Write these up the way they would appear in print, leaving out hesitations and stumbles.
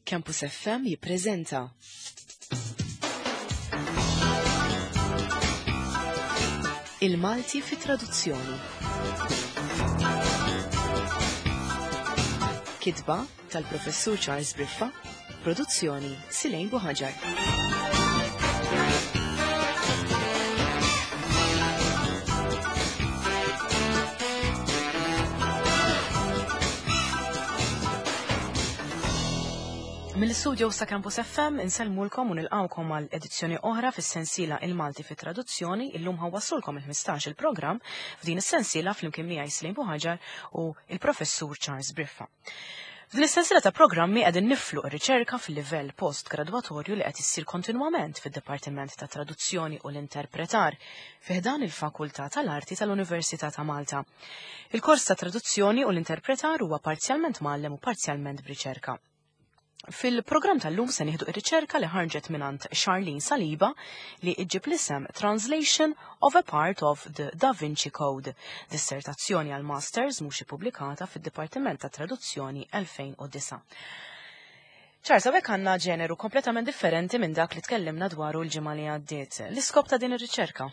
Campus FM jippreżenta Il-Malti fi traduzzjoni. Kitba tal-Professur Charles Briffa, produzzjoni Silejn Buħaġar. Mill-studio sa' Campus FM insellmulkom u nilqawkom għal edizzjoni oħra fis-sensiela Il-Malti fit traduzzjoni illum ħawassulkom il-15 il-programm f'din is-sensiela flimkien miegħi Slim Buħaġar u il-Professur Charles Briffa. F'din is-sensiela ta' programmi qegħdin niflu r-riċerka fil-livell post-gradwatorju li qed issir kontinwament fid-Dipartiment ta' Traduzzjoni u l-Interpretar fi ħdan il-Fakultà tal-Arti tal-Università ta' Malta. Il-kors ta' Traduzzjoni u l-Interpretar huwa parzjalment mgħallem u parzjalment b'riċerka. Fil-programm tal-lum se nieħdu ir-riċerka li ħarġet mingħand Charlene Saliba li iġġib l-isem Translation of a Part of the Da Vinci Code, dissertazzjoni għal masters mhux ippubblikata fid-Dipartiment ta' Traduzzjoni 2009. Charles, hawnhekk għandna ġeneru kompletament differenti minn dak li tkellimna dwaru l-ġimgħa li għaddiet. L-iskop ta' din ir-riċerka?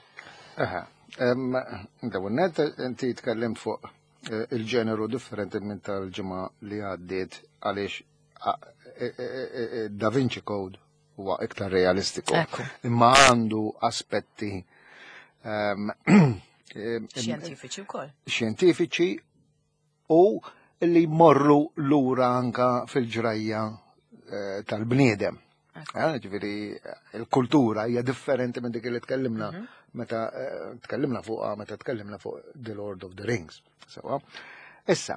Aha, dawn net inti tkellimt fuq Eh, il-ġeneru differenti minn tal-ġimgħa li għaddiet għaliex eh, eh, Da Vinci Code huwa iktar realistiku. Imma għandu aspetti ehm, xjentifiċi wkoll. Xjentifiċi u li morru lura anka fil-ġrajja tal-bniedem. Eh, ġifieri il-kultura hija differenti minn dik li tkellimna mhm. meta eh, tkellimna fuqha meta tkellimna fuq The Lord of the Rings. Sewa. Issa,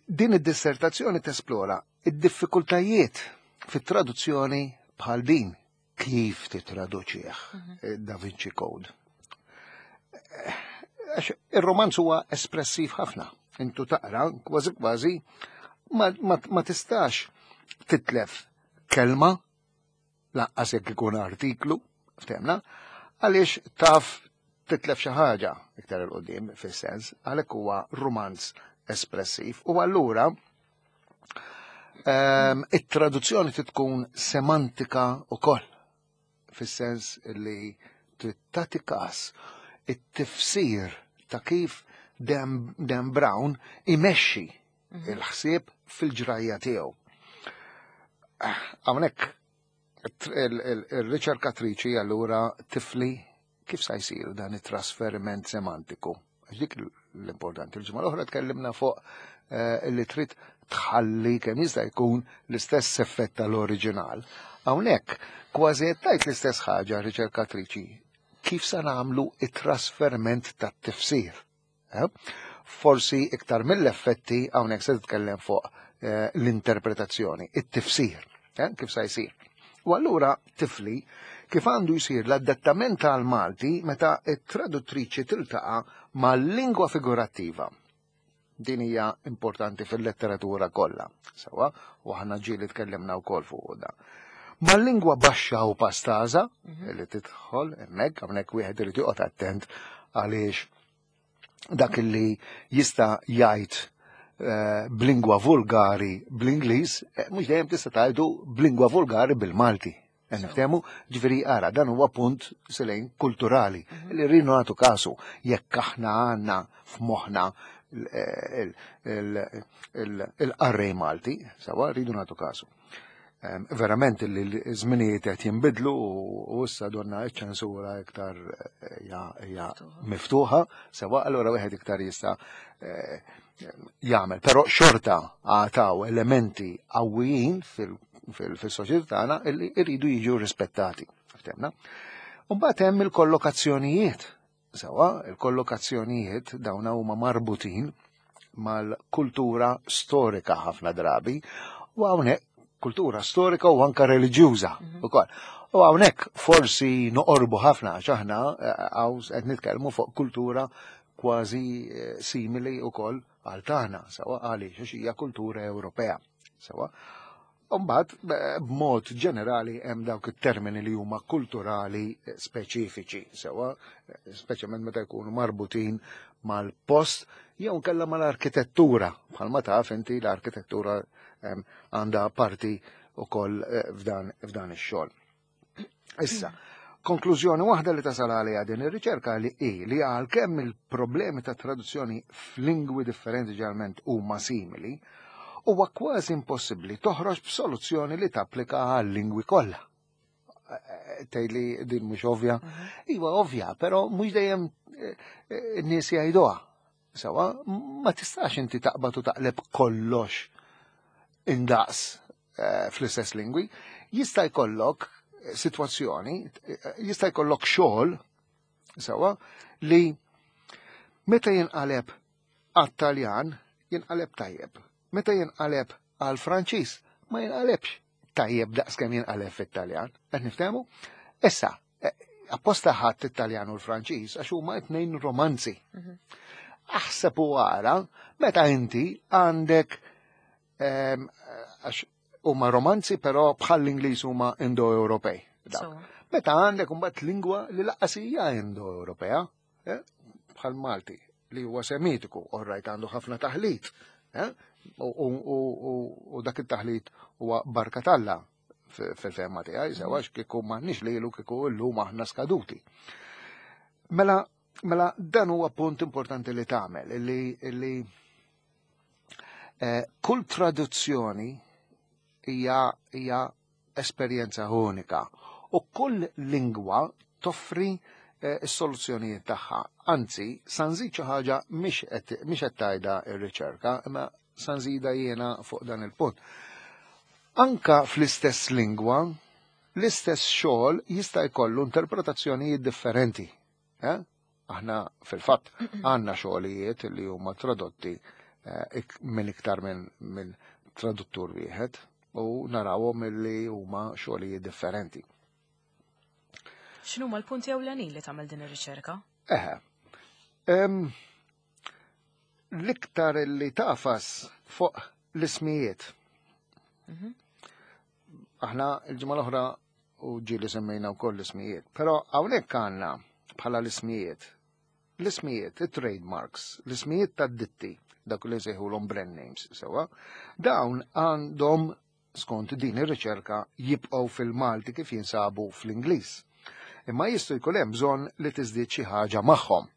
din id-dissertazzjoni tesplora id-diffikultajiet fit-traduzzjoni bħal din kif titraduċih mhm. eh, Da Vinci Code. Għax ir-romanz huwa espressiv ħafna. Intu taqra kważi kważi ma, ma, ma tistax titlef kelma laqqas jekk ikun artiklu, ftemna, għaliex taf titlef xi ħaġa iktar il qudiem fis-sens, għalhekk huwa romanz espressiv u allura ehm, it-traduzzjoni tkun semantika ukoll fis-sens li trid tagħti każ it-tifsir ta' kif Dan, Dan Brown imexxi mhm. il-ħsieb fil-ġrajja tiegħu. Hawnhekk il-riċerkatriċi allura tifli kif sa jsir dan it-trasferiment semantiku. Għax dik l-importanti. Il-ġimgħa l-oħra tkellimna fuq eh, li trid tħalli kemm jista' jkun l-istess effett tal-oriġinal. Hawnhekk kważi qed tgħid l-istess ħaġa riċerkatriċi kif sa nagħmlu it-trasferment tat-tifsir. Eh? Forsi iktar mill-effetti hawnhekk se titkellem fuq eh, l-interpretazzjoni, it-tifsir, eh, kif sa jsir. U allura tifli kif għandu jsir l-adattament tal-Malti meta t-traduttriċi tiltaqa' mal-lingwa figurattiva. Din hija importanti fil-letteratura kollha, sewa, u aħna ġieli tkellimna wkoll fuq da. Mal-lingwa baxxa u pastaża mhm. li tidħol hemmhekk hawnhekk wieħed irid joqgħod attent għaliex dak li jista' jgħid eh, b'lingwa vulgari bl-Ingliż, eh, mhux dejjem tista' tgħidu b'lingwa vulgari bil-Malti. Eh, niftehmu, ġifieri ara, dan huwa punt selejn kulturali mhm. li rridu nagħtu kasu jekk aħna għandna f'moħħna il-qarrej Malti, sawa rridu nagħtu kasu. Verament li l-żminijiet qed jinbidlu u issa donna ċ-ċensura iktar eh, hija miftuħa, sewa allura wieħed iktar jista' eh, jagħmel. Però xorta għataw elementi qawwijin fil-soċjetà tagħna li jridu jiġu rispettati. Ftemna? Mbagħad hemm il-kollokazzjonijiet Sewa, il-kollokazzjonijiet dawna huma marbutin mal-kultura storika ħafna drabi u hawnhekk kultura storika u anka reliġjuża mhm. ukoll. U hawnhekk forsi noqorbu ħafna għax aħna eh, hawn qed nitkellmu fuq kultura kważi eh, simili wkoll għal tagħna, sewa għaliex għax hija kultura Ewropea. Sewa. Umbagħad b'mod ġenerali hemm dawk it-termini li huma kulturali speċifiċi, sewa, speċjalment meta jkunu marbutin mal-post jew nkella mal-arkitettura, bħalma taf inti l-arkitettura għandha parti ukoll f'dan ix-xogħol. Issa, konklużjoni waħda li tasal għaliha din ir-riċerka li hi li għalkemm il-problemi ta' traduzzjoni f'lingwi differenti ġeneralment huma simili, huwa kważi impossibbli toħroġ b'soluzzjoni li tapplika għal-lingwi kollha. Tgħidli din mhux ovvja. Iva ovvja, però mhux dejjem n-nies jgħiduha. Sewa, ma tistax inti taqbad u taqleb kollox indaqs fl-istess lingwi. Jista' jkollok sitwazzjoni, jista' jkollok xogħol sewa li meta jinqaleb għat-Taljan jinqaleb tajjeb. Meta jinqaleb għal-Franċiż ma jinqalebx tajjeb daqskemm jinqaleb fit-Taljan. Qed niftehmu? Issa, apposta ħadd it-Taljan u l-Franċiż għax huma t-tnejn romanzi. Aħseb u ara meta inti għandek għax huma romanzi però bħal l-Ingliż huma Indo-Ewropej. Meta għandek imbagħad lingwa li lanqas hija Indo-Ewropea, bħal Malti li huwa Semitiku, orrajt għandu ħafna taħlit, u dak it-taħlit huwa barka t'Alla fil-fehma tiegħi, sewa kieku m'għandniex lilu kieku llum aħna skaduti. Mela dan huwa punt importanti li tagħmel illi kull traduzzjoni hija esperjenza unika u kull lingwa toffri s-soluzzjonijiet tagħha. Anzi, sa nżid xi ħaġa mhix qed tgħidha r-riċerka, imma sa nżida jiena fuq dan il-punt. Anka fl-istess lingwa, l-istess xogħol jista' jkollu interpretazzjonijiet differenti. Aħna fil-fatt għandna xogħlijiet li huma tradotti minn iktar minn traduttur wieħed u narawhom li huma xogħlijiet differenti. X'inhuma l-punti ewlenin li tagħmel din ir-riċerka? Eħe. L-iktar li tafas fuq l-ismijiet. Aħna il-ġimgħa l-oħra u ġieli semmejna wkoll l-ismijiet, però hawnhekk għandna bħala l-ismijiet. L-ismijiet, it-trademarks, l-ismijiet tad-ditti, dak li nsejħulhom brand names, sewa, dawn għandhom skont din ir-riċerka jibqgħu fil-Malti kif jinsabu fl-Ingliż. Imma jistgħu jkun hemm bżonn li tiżdied xi ħaġa magħhom.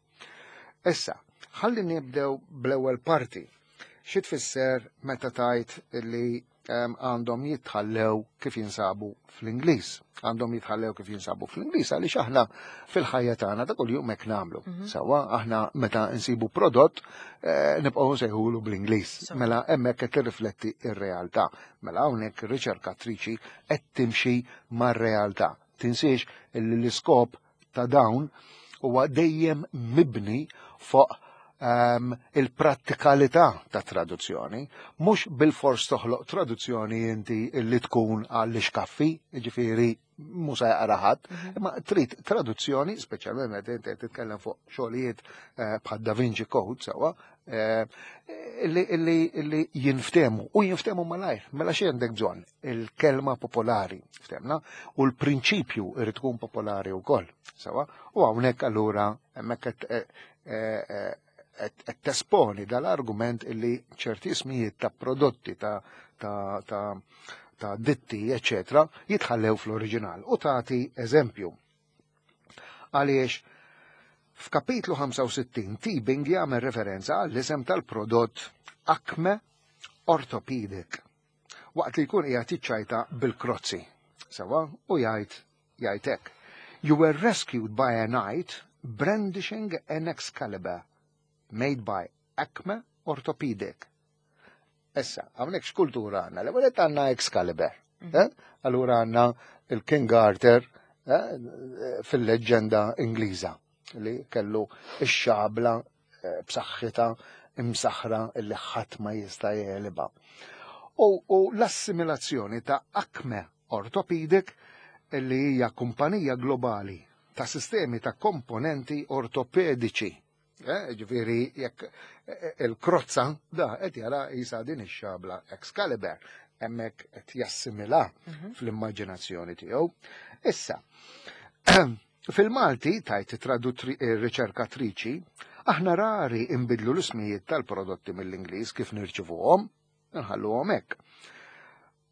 Issa, ħalli nibdew bl-ewwel parti. Xi tfisser meta tajt li għandhom jitħallew kif jinsabu fl-Ingliż? Għandhom jitħallew kif jinsabu fl-Ingliż għaliex aħna fil-ħajja tagħna ta' kuljum hekk nagħmlu. Sawa aħna meta nsibu prodott nibqgħu nsejħulu bl-Ingliż. Mela hemmhekk qed tirrifletti r-realtà. Mela hawnhekk ir-riċerkatriċi qed timxi mar-realtà. Tinsiex li l-iskop ta' dawn huwa dejjem mibni fuq il-prattikalità ta' traduzzjoni, mhux bil-fors toħloq traduzzjoni inti li tkun għall-ixkaffi, jiġifieri mhux se jaqra ħadd, imma trid traduzzjoni, speċjalment meta inti qed titkellem fuq xogħlijiet bħal Da Vinci Code sewwa, illi jinftemu u jinftemu malajr. Mela xi għandek bżonn? Il-kelma popolari, ftemna, u l-prinċipju irid tkun popolari wkoll, sewwa, u hawnhekk allura hemmhekk qed tesponi dal-argument illi ċerti ismijiet ta' prodotti ta' ta' ta' ta' ditti, eccetera, jitħallew fl-oriġinal. U tagħti eżempju. Għaliex f'kapitlu 65 Teabing jagħmel referenza għall-isem tal-prodott Acme Orthopedic waqt li jkun qiegħed jiċċajta bil-krozzi. Sewa, u jgħid hekk. You were rescued by a knight brandishing an Excalibur made by Acme Orthopedic. Issa, hawnhekk x'kultura għandna? L-ewwel qed għandna Excalibur. Allura għandna il-King Arthur fil-leġġenda Ingliża li kellu ix-xabla b'saħħitha imsaħra li ħadd ma jista' jegħlibha. U l-assimilazzjoni ta' Acme Orthopedic li hija kumpanija globali ta' sistemi ta' komponenti ortopediċi. Ġifieri jekk il-krozza da qed jara jisa din ix-xabla Excalibur hemmhekk qed jassimila fl-immaġinazzjoni tiegħu. Issa, fil-Malti tajt riċerkatriċi, aħna rari imbidlu l-ismijiet tal-prodotti mill-Ingliż kif nirċivuhom, nħalluhom hekk.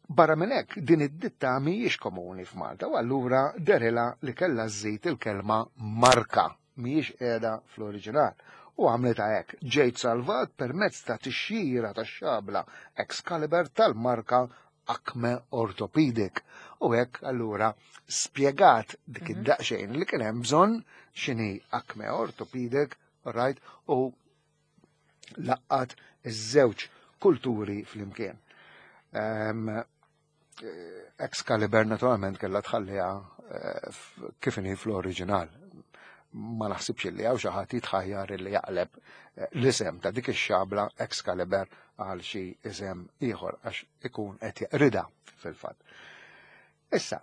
Barra minn hekk, din id-ditta mhijiex komuni f'Malta u allura derilha li kellha żżid il-kelma marka, mhijiex qiegħda fl-oriġinal. U għamlitha hekk, ġejt salvat permezz ta' tixjira tax-xabla Excalibur tal-marka Acme Orthopedic. U hekk allura spjegat dik id-daqsxejn li kien hemm bżonn x'inhi Acme Orthopedic, right, u laqqat iż-żewġ kulturi flimkien. Excalibur naturalment kellha tħalliha kif inhi fl-oriġinal. Ma naħsibx li hawn xi ħadd jitħajjar li jaqleb l-isem ta' dik ix-xabla Excalibur għal xi isem ieħor għax ikun qed jeqrida fil-fatt. Issa,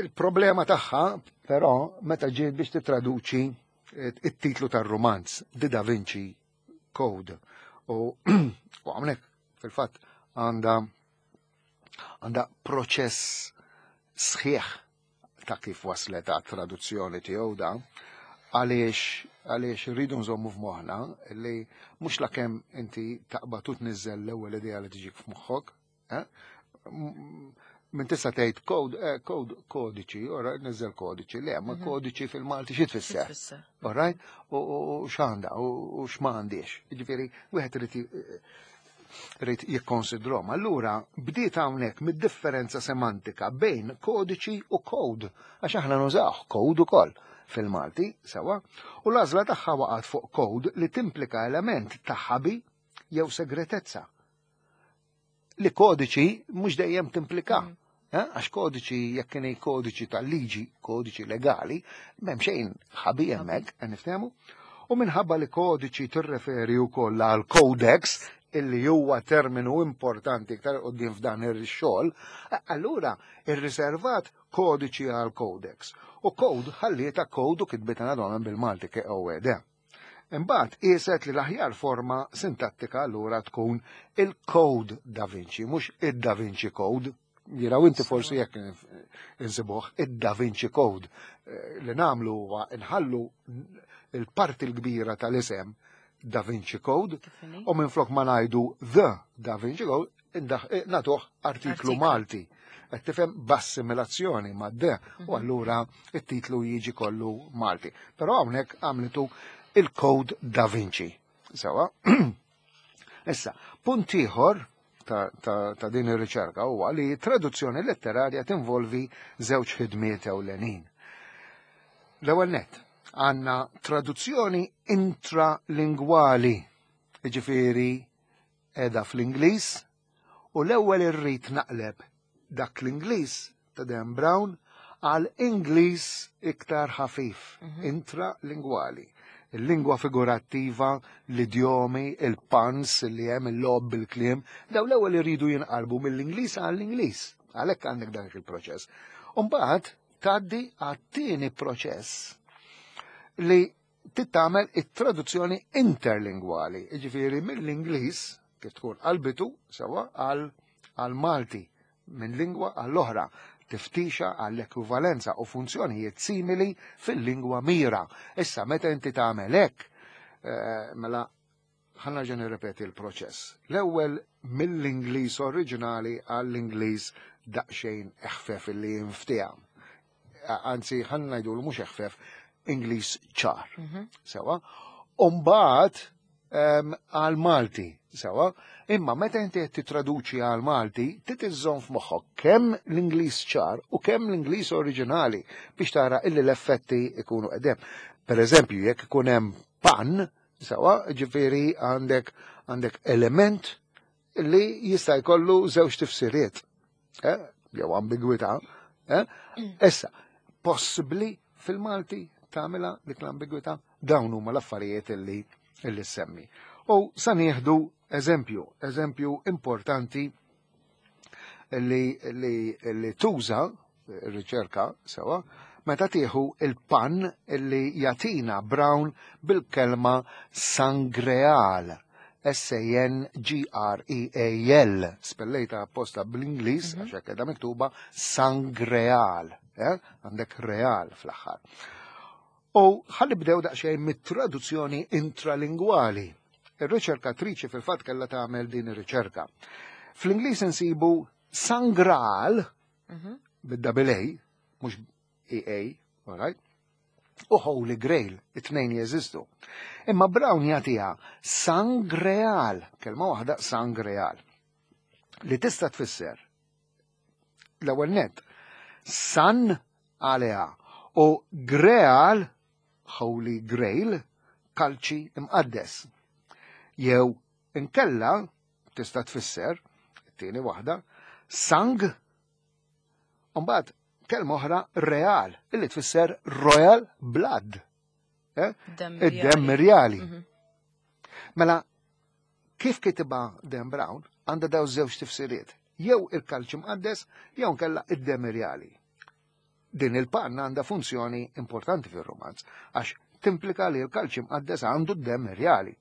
il-problema tagħha però meta ġiet biex titraduċi it-titlu tar-rumanz, The Da Vinci Code. U hawnhekk fil-fatt għandha proċess sħiħ ta' kif waslet għat traduzzjoni tiegħu da, għaliex rridu nżommu f'moħħna li mhux lakemm inti taqbad u tniżżel l-ewwel idea li tiġik f'moħħok, eh? Min tista' tgħid code, code, kodiċi, ora niżel kodiċi, le, ma kodiċi fil-Malti xi tfisser? All right? U x'għandha u x'ma għandix. Jiġifieri wieħed irid jikkonsidrom. Allura bdiet hawnhekk mid-differenza semantika bejn kodiċi u code, għax aħna nużaw code ukoll fil-Malti, sewa, u l-għażla tagħha waqgħet fuq code li timplika element ta' ħabi jew segretezza. Li kodiċi mhux dejjem timplika. Għax kodiċi, jekk kien kodiċi tal-liġi, kodiċi legali, m'hemm xejn ħabi hemmhekk, qed niftehmu. U minħabba li kodiċi tirreferi wkoll għal codex, illi huwa terminu importanti iktar quddiem f'dan ir-xogħol, allura irriservat kodiċi għal codex. U code ħallieta code u kitbitha naturalment bil-Malti KOED. Imbagħad qieset li l-aħjar forma sintattika allura tkun il-Code Da Vinci, mhux id-Da Vinci Code. Jiraw inti forsi jekk insibuh id-Da Vinci Code. Li nagħmlu huwa nħallu il-parti l-kbira tal-isem Da Vinci Code u minflok ma ngħidu The Da Vinci Code nagħtuh artiklu Malti. Qed tifhem b'assimilazzjoni ma' the u allura it-titlu jiġi kollu Malti. Però hawnhekk għamlitu il-Code Da Vinci. Sewa. Issa, punt ieħor ta' din ir-riċerka huwa li traduzzjoni letterarja tinvolvi żewġ ħidmiet ewlenin. L-ewwel nett, għandna traduzzjoni intralingwali, jiġifieri qiegħda fl-Ingliż, u l-ewwel irrid naqleb dak l-Ingliż ta' Dan Brown għal Ingliż iktar ħafif, intralingwali. Il-lingwa figurattiva, l-idjomi, il-puns li hemm il-logħob bil-kliem, daw l-ewwel iridu jinqalbu mill-Ingliż għall-Ingliż. Għalhekk għandek dak il-proċess. U mbagħad tgħaddi għat-tieni proċess li tittamel it-traduzzjoni interlingwali, jiġifieri mill-Ingliż kif tkun qalbitu sewa għal Malti, minn lingwa għall-oħra, tiftixa għall-ekwivalenza u funzjonijiet simili fil-lingwa mira. Issa, meta inti tagħmel hekk, mela ħa nerġa' nirrepeti l-proċess. L-ewwel mill-Ingliż oriġinali għall-Ingliż daqsxejn eħfef li jinftiehem. Anzi, ħa ngħidu mhux eħfef, Ingliż ċar. Sewa. U mbagħad għal Malti, sewa. Imma meta inti qed titraduċi għal Malti, trid iżżomm f'moħħok kemm l-Ingliż ċar u kemm l-Ingliż oriġinali biex tara illi l-effetti ikunu qegħdem. Per eżempju, jekk ikun hemm pun, sewa, ġifieri għandek element li jista' jkollu żewġ tifsiriet, jew ambigwità. Issa, possibbli fil-Malti tagħmilha dik l-ambigwità? Dawn huma l-affarijiet illi semmi. U sa nieħdu eżempju importanti li tuża r-riċerka sewa, meta tieħu il-pun illi jagħtina Brown bil-kelma sangreal. S-A-N-G-R-E-A-L, spellejta apposta bl-Ingliż, għax hekk qiegħda miktuba sangreal, eh? Għandek real fl-aħħar. U ħalli bdew daqsxejn mit-traduzzjoni intralingwali. Ir-riċerkatriċi fil-fatt kellha tagħmel din ir-riċerka. Fl-Ingliż insibu Sangral bid-double A, mhux EA, all right? U Holy Grail, it-tnejn jeżistu. Imma Brown jagħtiha Sangreal, kelma waħda Sangreal, li tista' tfisser l-ewwel net San għaliha u Greal, Holy Grail, kalċi imqaddes. Jew inkella tista' tfisser, it-tieni waħda, sang, mbagħad kelma oħra real, illi tfisser royal blood. Eh? Id-demm rjali. Mela, kif kitibha Dan Brown, għandha daw żewġ tifsiriet. Jew il-kalċi mqaddes, jew nkella id-demm rjali. Din il-panna għandha funzjoni importanti fir-romanz, għax timplika li l-kalċi mqaddes għandu d-demm rjali.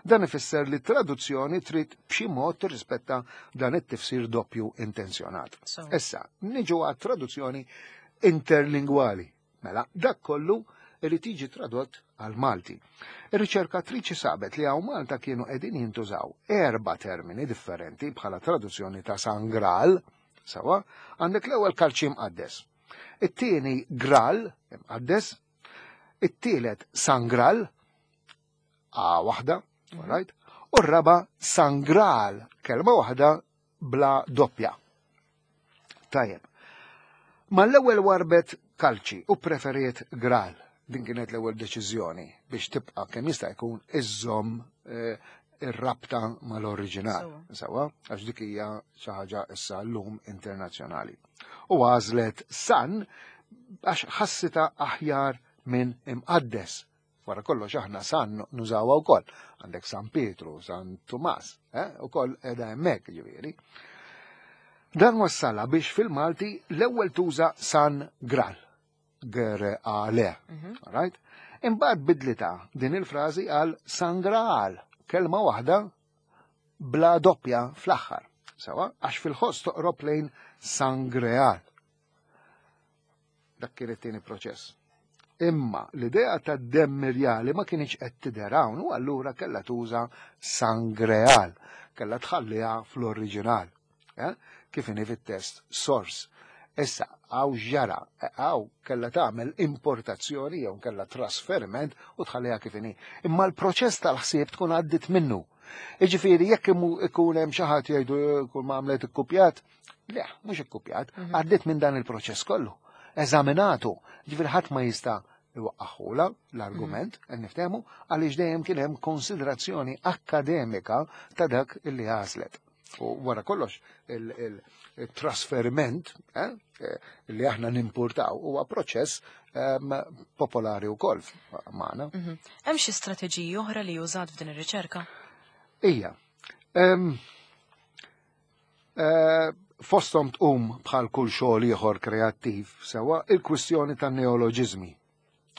Dan ifisser li traduzzjoni trid b'xi mod tirrispetta dan it-tifsir doppju intenzjonat. Issa, niġu għat traduzzjoni interlingwali. Mela, dak kollu irid jiġi tradott għal Malti. Ir-riċerkatriċi sabet li hawn Malta kienu qegħdin jintużaw erba' termini differenti bħala traduzzjoni ta' Sangral, sawa, għandek l-ewwel kalċi mqaddes. It-tieni Gral imqaddes, it-tielet Sangral, A waħda, right? U r-raba Sangral, kelma waħda bla doppja. Tajjeb. Ma l-ewwel warbet kalċi u preferiet Gral. Din kienet l-ewwel deċiżjoni biex tibqa' kemm jista' jkun iżżomm eh, ir-rabta mal-oriġinal. Sawa, għax dik hija xi ħaġa issa llum internazzjonali. U għażlet San għax ħassita aħjar minn imqaddes. Wara kollox aħna San nużawha wkoll. Għandek San Pietru, San Tumas, eh? ukoll qiegħda hemmhekk ġifieri. Dan wassala biex fil-Malti l-ewwel tuża San Gral. G-R-A-L. Right? Imbagħad bidlita din il-frażi għal San Graal, kelma waħda bla doppja fl-aħħar. Sawa, għax fil-ħoss toqrob lejn San Greal. Dak kien it-tieni proċess. Imma l-idea ta' demm irjali ma kienx qed tidher hawn u allura kellha tuża Sangreal, kellha tħalliha fl-oriġinal. Eh? Kif inhi fit-test source. Issa, hawn ġara, hawn kellha tagħmel importazzjoni jew kellha trasferiment u tħalliha kif inhi. Imma l-proċess tal-ħsieb tkun għaddit minnu. Iġifieri jekk ikun hemm xi ħadd jgħidu eh, kull ma għamlet ikkupjat, le, mhux ikkupjat, għaddiet minn dan il-proċess kollu. Eżaminatu, ġifieri ħadd ma jista' iwaqqaħula l-argument, qed niftehmu, għaliex dejjem kien hemm konsiderazzjoni akkademika ta' dak illi għażlet. U wara kollox il-trasferiment eh, li aħna nimpurtaw huwa proċess popolari wkoll magħna. Hemm xi strateġiji oħra li użat f'din ir-riċerka? Ija. Fosthom tqum bħal kull xogħol ieħor kreattiv sewwa il-kwistjoni tan-neoloġiżmi.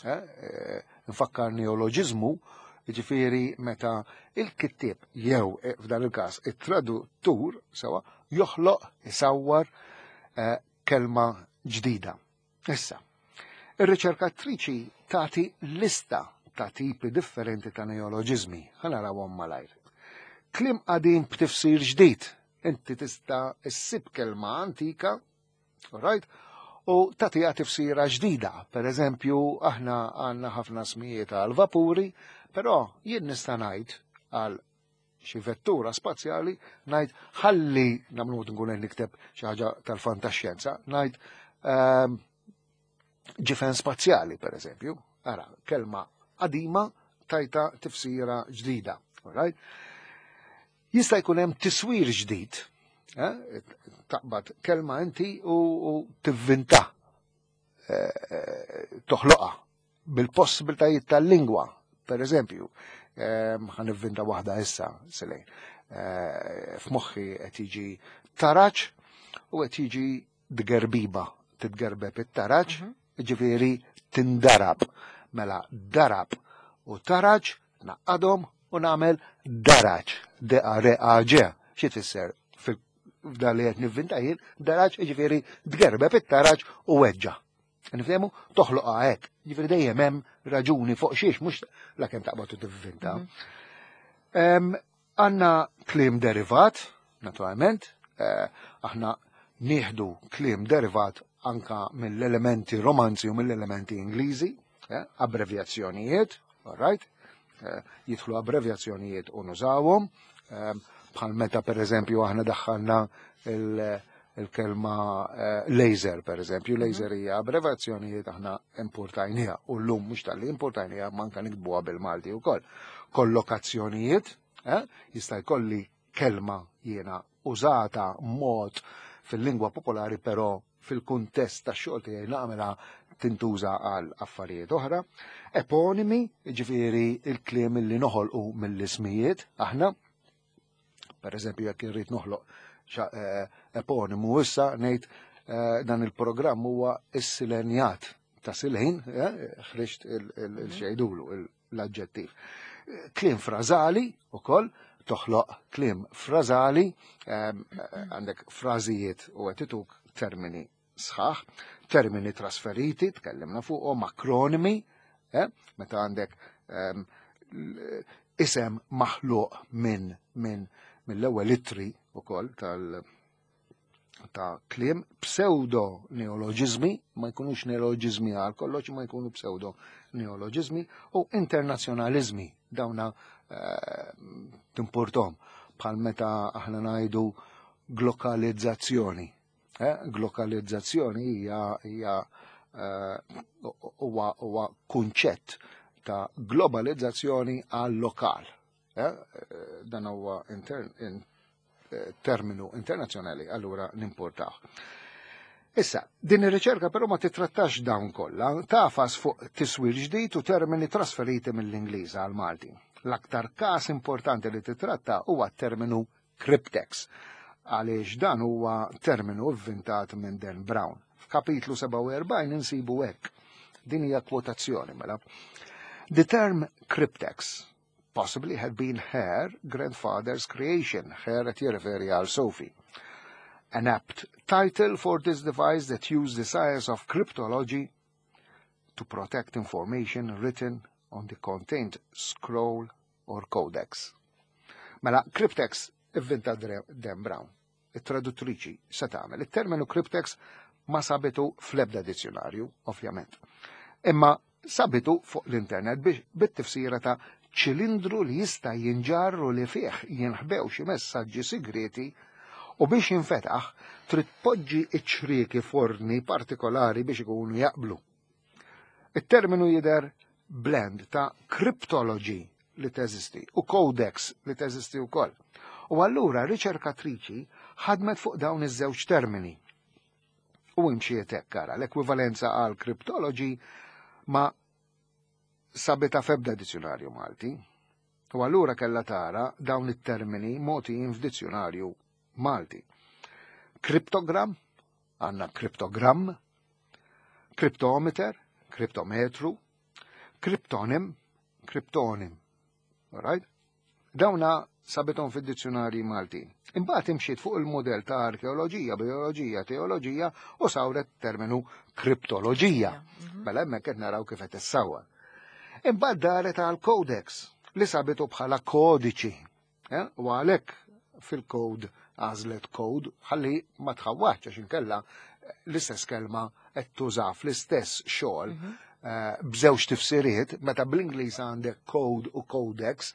Eh, eh, nfakkar neoloġiżmu, jiġifieri meta il-kittieb jew f'dan il-każ it-traduttur sewwa joħloq isawwar kelma ġdida. Issa, ir-riċerkatriċi tagħti lista ta' tipi differenti ta' neoloġiżmi, ħa narawhom malajr. Kliem qadim b'tifsir ġdid, inti tista' issib kelma antika, right? U tagħtiha tifsira ġdida. Per eżempju, aħna għandna ħafna smijiet għal vapuri, però jien nista' ngħid għal xi vettura spazjali ngħid ħalli nagħmlu nkun qed nikteb xi ħaġa tal-fantaxjenza, ngħid ġifen spazjali per eżempju. Ara, kelma qadima tajta tifsira ġdida. Alright? Jista' jkun hemm tiswir ġdid, eh? Taqbad kelma inti u tivvinta, toħloqha bil-possibiltajiet tal-lingwa. Per eżempju, ħa nivvinta waħda issa, Selej. F'moħħi qed jiġi taraġ u qed jiġi dgerbiba, titgerbeb it-taraġ, ġifieri tindarab. Mela darab u taraġ naqadhom u nagħmel daraġ, D-A-R-A-G. Xi tfisser f'dan li qed nivvinta jien, daraġ ġifieri tgerbeb it-taraġ u weġġa. Nifhemu toħloqha hekk. Ġifieri dejjem hemm raġuni fuq xiex mhux la kemm taqbad u tivvinta. Għandna kliem derivat, naturalment, Aħna nieħdu kliem derivat anka mill-elementi romanzi u mill-elementi Ingliżi, abbrevjazzjonijiet, all right? Jidħlu abbrevjazzjonijiet u nużawhom, bħal meta per eżempju aħna daħħalna il-kelma laser, per eżempju, laser hija abbrevjazzjonijiet aħna importajniha u llum mhux talli importajniha manka nikbuha bil-Malti wkoll. Kollokazzjonijiet, jista' jkolli kelma jiena użata mod fil-lingwa popolari, però fil-kuntest ta' xogħol tiegħi nagħmilha tintuża għal affarijiet oħra. Eponimi, ġifieri il-kliem li noħolqu mill-ismijiet aħna. Per eżempju, jekk irrid noħloq eponimu issa ngħid dan il-programm huwa is-silenjat ta' Silejn, ħriġt il-xejdulu, l-aġġettiv. Kliem frażali ukoll, toħloq kliem frażali, għandek frażijiet u qed ituk termini sħaħ, termini trasferiti, tkellimna fuqhom, akronimi, meta għandek isem maħluq minn mill-ewwel ittri ukoll ta' kliem, pseudo neoloġizmi, ma jkunux neoloġizmi għal kollox, ma jkunu pseudo neoloġizmi, u internazzjonalizmi, dawna timportom, bħal meta aħna ngħidu glokalizzazzjoni. Glokalizzazzjoni hija huwa kunċett ta' globalizzazzjoni għal lokal. Dan huwa terminu internazzjonali, allura nimportaw. Issa, din ir-riċerka però ma titrattax dawn kollha, tafas fuq tiswir ġdid u termini trasferiti mill-Ingliż għal Malti. L-aktar każ importanti li titratta huwa terminu cryptex, għaliex dan huwa terminu ivvintat minn Dan Brown. F'kapitlu 47 insibu hekk. Din hija kwotazzjoni mela. The term cryptex possibly had been her grandfather's creation. Her qed jirreferi għal Sophie. An apt title for this device that used the science of cryptology to protect information written on the contained scroll or codex. Mela, cryptex ivvinta Dan Brown. Il-traduttriċi se tagħmel. Il-terminu cryptex ma sabitu fl-ebda dizzjonarju, ovvjament. Imma sabitu fuq l-internet biex bit-tifsira ta' ċilindru li jista' jinġarru li fih jinħbew xi messaġġi segreti u biex jinfetaħ trid poġġi iċ-ċrieki forni partikolari biex ikunu jaqblu. Il-terminu jidher blend ta' cryptology li teżisti u codex li teżisti wkoll. U allura riċerkatriċi ħadmet fuq dawn iż-żewġ termini. U imxiet hekk ara l-ekwivalenza għal cryptology ma sabita f'ebda dizzjonarju Malti. U allura kella tara dawn it-termini mogħtijin f'dizzjonarju Malti. Kriptogram, għandna kriptogram, kriptometer, kriptometru, kriptonim, kriptonim. Alright? Dawna sabithom fid-dizzjonarji Malti. Imbagħad imxiet fuq il-modell ta' arkeoloġija, bioloġija, teoloġija u sawret terminu kriptoloġija. Mela hemmhekk qed naraw kif qed issawar. Imbagħad daret għal codex li sabitu bħala kodiċi. U għalhekk fil-code għażlet code ħalli ma tħawwax għax inkella l-istess kelma qed tuża fl-istess xogħol b'żewġ tifsiriet, meta bl-Ingliż għandek code u codex,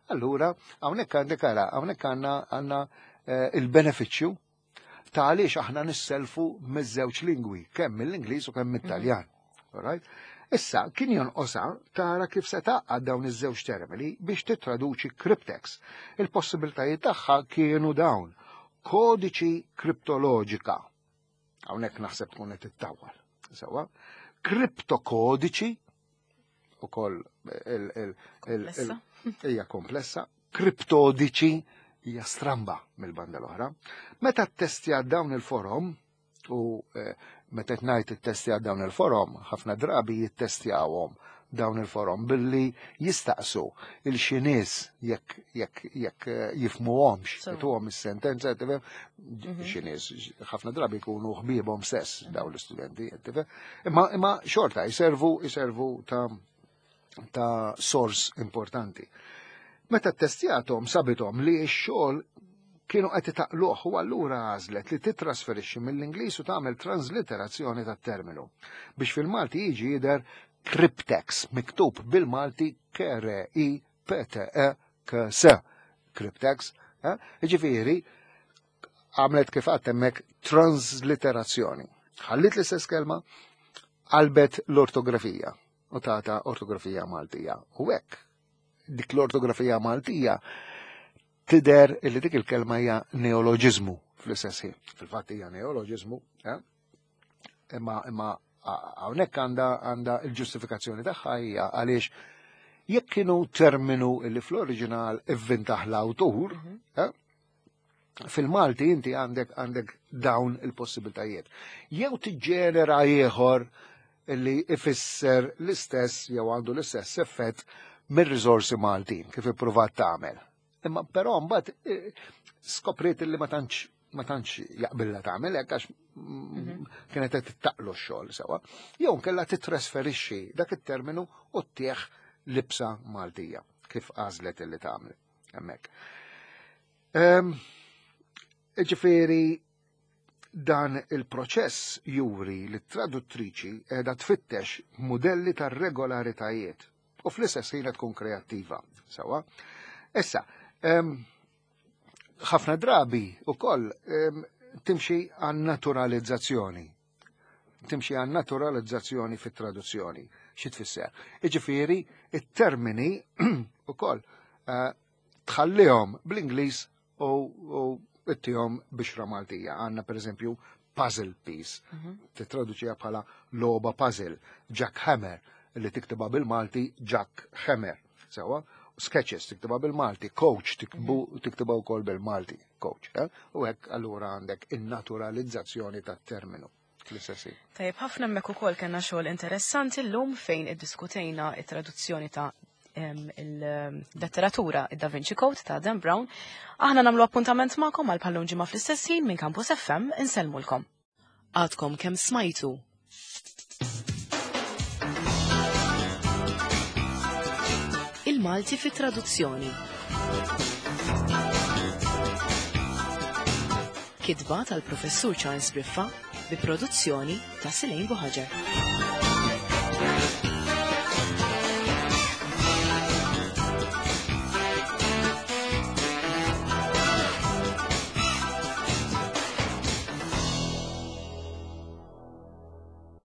allura hawnhekk għandek ara, hawnhekk għandna il-benefiċċju ta' għaliex aħna nisselfu miż-żewġ lingwi, kemm mill-Ingliż u kemm mit-Taljan. Alright? Issa, kien jonqosha tara kif se tgħaqqad dawn iż-żewġ termini biex tittraduċi cryptex. Il-possibiltajiet tagħha kienu dawn. Kodiċi kriptoloġika. Hawnhekk naħseb tkun qed ittawwal. Sewwa. Kriptokodiċi ukoll Komplessa. hija komplessa. Kriptodiċi hija stramba mill-banda l-oħra. Meta ttestja dawn il-forom u meta qed ngħid ittestja dawn il-forom, ħafna drabi jittestjawhom dawn il-forom billi jistaqsu il xi nies jekk jifmuhomx, jituhom is-sentenza, tifhem? Xi nies ħafna drabi jkunu ħbiebhom stess dawn l-istudenti, tifhem? Imma xorta jservu ta' source importanti. Meta ttestjathom sabithom li x-xogħol Kienu qed itaqluh u allura għażlet li titrasferixxi mill-Ingliż u tagħmel transliterazzjoni tat-terminu biex fil-Malti jiġi jidher cryptex miktub bil-Malti K R I P T E K S. Cryptex, eh? Jiġifieri għamlet kif għadt hemmhekk transliterazzjoni. Ħallit l-istess kelma, qalbet l-ortografija u tata ortografija Maltija. U hekk dik l-ortografija Maltija tidher illi dik il-kelma hija neoloġiżmu fl-istess ħin. Fil-fatt hija neoloġiżmu, eh? imma imma hawnhekk għandha għandha l-ġustifikazzjoni tagħha hija għaliex jekk kienu terminu li fl-oriġinal ivvintaħ l-awtur, eh, fil-Malti inti għandek għandek dawn il-possibiltajiet. Jew tiġġenera ieħor li ifisser l-istess jew għandu l-istess effett mir-riżorsi Maltin kif ippruvat tagħmel. Imma però mbagħad eh, skopriet li ma tantx ma tantx jaqbilla tagħmel hekk għax kienet qed tittaqlu x-xogħol sewa. Jew kellha titrasferixxi dak it-terminu u ttieħ libsa Maltija kif għażlet illi tagħmel hemmhekk. Ġifieri dan il-proċess juri li t-traduttriċi qiegħda tfittex modelli ta' regolaritajiet u fl-istess ħin tkun kreattiva. Sewa. Issa, ħafna drabi ukoll timxi għan naturalizzazzjoni. Timxi għan naturalizzazzjoni fit-traduzzjoni. Xi tfisser? Iġifieri, it-termini ukoll tħallihom bl-Ingliż u ittihom bixra Maltija. Għandna pereżempju puzzle piece, titraduċiha bħala logħba puzzle, jackhammer, li tiktibha bil-Malti Jack Hammer. Sewa, sketches tiktibha bil-Malti, coach tiktibha wkoll bil-Malti, coach. Eh? U hekk allura għandek in-naturalizzazzjoni tat-terminu. Fl-istess ħin. Tajjeb, ħafna hemmhekk ukoll kellna xogħol interessanti llum fejn iddiskutejna it-traduzzjoni ta' il-letteratura id Da Vinci Code ta' Dan Brown. Aħna nagħmlu appuntament magħkom għal bħallum ġimgħa fl-istess ħin minn Campus FM insellmulkom. Għadkom kemm smajtu. Il-Malti fit traduzzjoni. Kitba tal-Professur Charles Briffa bi produzzjoni ta' Silejn Buħaġar.